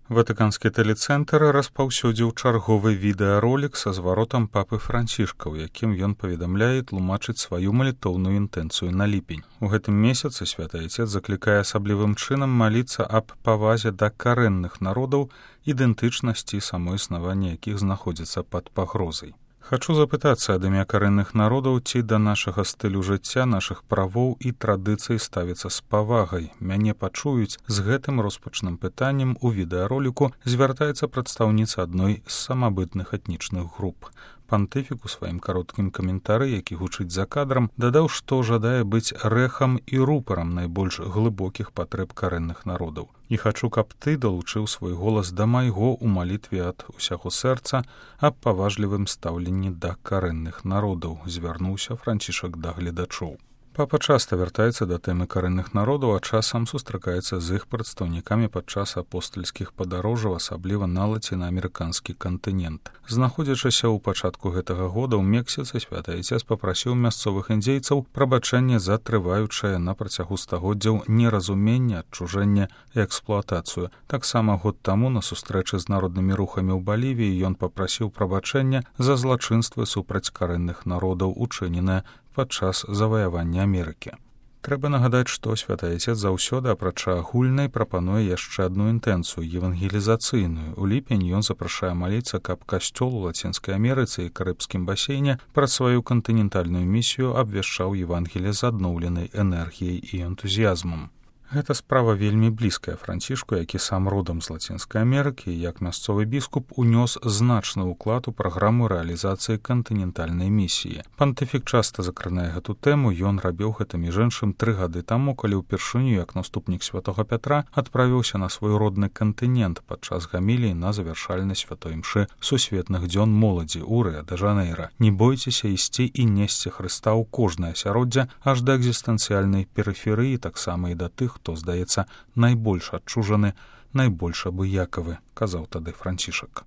Ватыканскі тэлецэнтр распаўсюдзіў чарговы відэаролік са зваротам папы Францішка, у якім ён паведамляе і тлумачыць сваю малітоўную інтэнцыю на ліпень. У гэтым месяцы святы Айцец заклікае асаблівым чынам маліцца аб павазе да карэнных народаў, ідэнтычнасці самоіснавання якіх знаходзіцца пад пагрозай. Хачу запытацца ад імя карэнных народаў, ці да нашага стылю жыцця, нашых правоў і традыцый ставіцца з павагай. Мяне пачуюць. З гэтым роспачным пытаннем у відэароліку звяртаецца прадстаўніца адной з самабытных этнічных груп. Пантыфік у сваім кароткім каментары, які гучыць за кадрам, дадаў, што жадае быць рэхам і рупарам найбольш глыбокіх патрэб карэнных народаў. І хачу, каб ты далучыў свой голас да майго ў малітве ад усяго сэрца аб паважлівым стаўленні да карэнных народаў, звярнуўся Францішак да гледачоў. Папа часта вяртаецца да тэмы карэнных народаў, а часам сустракаецца з іх прадстаўнікамі падчас апостальскіх падарожжаў, асабліва на лацінаамерыканскі кантынент. Знаходзячыся ў пачатку гэтага года ў Мексіцы, святы Айцец папрасіў мясцовых індзейцаў прабачэння за трываючае на працягу стагоддзяў неразуменне, адчужэнне і эксплуатацыю. Таксама год таму на сустрэчы з народнымі рухамі ў Балівіі ён папрасіў прабачэння за злачынствы супраць карэнных народаў, учыненае падчас заваявання Амерыкі. Трэба нагадаць, што святы Айцец заўсёды, апрача агульнай, прапануе яшчэ адну інтэнцыю евангелізацыйную. У ліпень ён запрашае маліцца, каб касцёл у Лацінскай Амерыцы і Карыбскім басейне праз сваю кантынентальную місію абвяшчаў Евангеліе з адноўленай энергіяй і энтузіязмам. Гэта справа вельмі блізкая Францішку, які сам родам з Лацінскай Амерыкі і як мясцовы біскуп унёс значны ўклад у праграму рэалізацыі кантынентальнай місіі. Пантыфік часта закранае гэту тэму, ён рабіў гэта між іншым 3 гады таму, калі ўпершыню як наступнік святога Пятра адправіўся на свой родны кантынент падчас гаміліі на завяршальнай святой імшы сусветных дзён моладзі ў Рыа-дэ-Жанэйра. Не бойцеся ісці і несці Хрыста ў кожнае асяроддзе аж да экзістэнцыяльнай перыферыі, таксама і да тых, хто, здаецца, найбольш адчужаны, найбольш абыякавы, казаў тады Францішак.